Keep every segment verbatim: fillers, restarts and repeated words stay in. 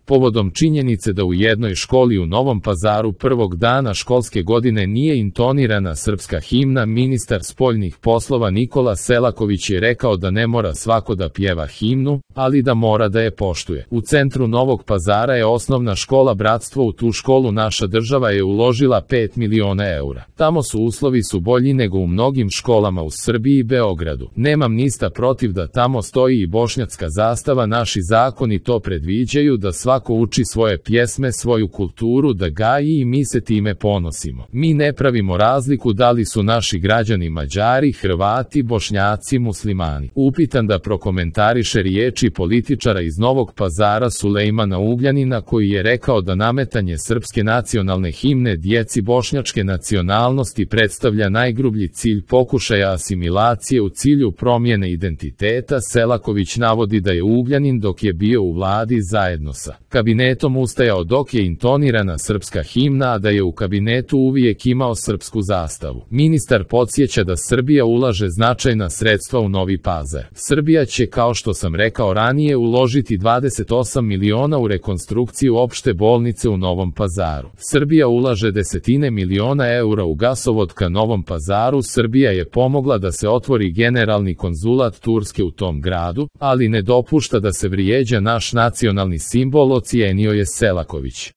povodom činjenice da u jednoj školi u Novom Pazaru prvog dana školske godine nije intonirana srpska himna. Ministar spoljnih poslova Nikola Selaković je rekao da ne mora svako da pjeva himnu, ali da mora da je poštuje. U centru Novog Pazara je osnovna škola Bratstvo. U tu školu naša država je uložila pet miliona eura. Tamo su uslovi su bolji nego u mnogim školama u Srbiji i Beogradu. Nemam ništa protiv da tamo stoji i bošnjačka zastava. Naši zakoni to predviđaju da svako uči svoje pjesme, svoju kulturu, da gaji i mi se time ponosimo. Mi ne pravimo razliku da li su naši građani Mađari, Hrvati, Bošnjaci, Muslimani. Upitan da prokomentariše riječi političara iz Novog Pazara Sulejmana Ugljanina koji je rekao da nametanje srpske nacionalne himne djeci bošnjačke nacionalnosti predstavlja najgrublji cilj pokušaja asimilacije u cilju promjene identiteta. Selaković navodi da je Ugljanin dok je bio u vladi zajedno sa kabinetom ustajao dok je intonirana srpska himna, a da je u kabinetu uvijek imao srpsku zastavu. Ministar podsjeća da Srbija ulaže značajna sredstva u Novi Pazar. Srbija će, kao što sam rekao ranije, uložiti dvadeset osam miliona u rekonstrukciju opšte bolnice u Novom Pazaru. Srbija ulaže desetine miliona eura u gasovod ka Novom Pazaru. Srbija je pomogla da se otvori generalni konzulat Turske u tom gradu, ali ne dopušta da se vrijeđa naš nacionalni simbol, ocijenio je Selaković.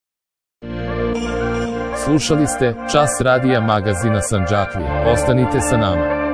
Slušali ste Čas radija magazina Sandžaklija. Ostanite sa nama.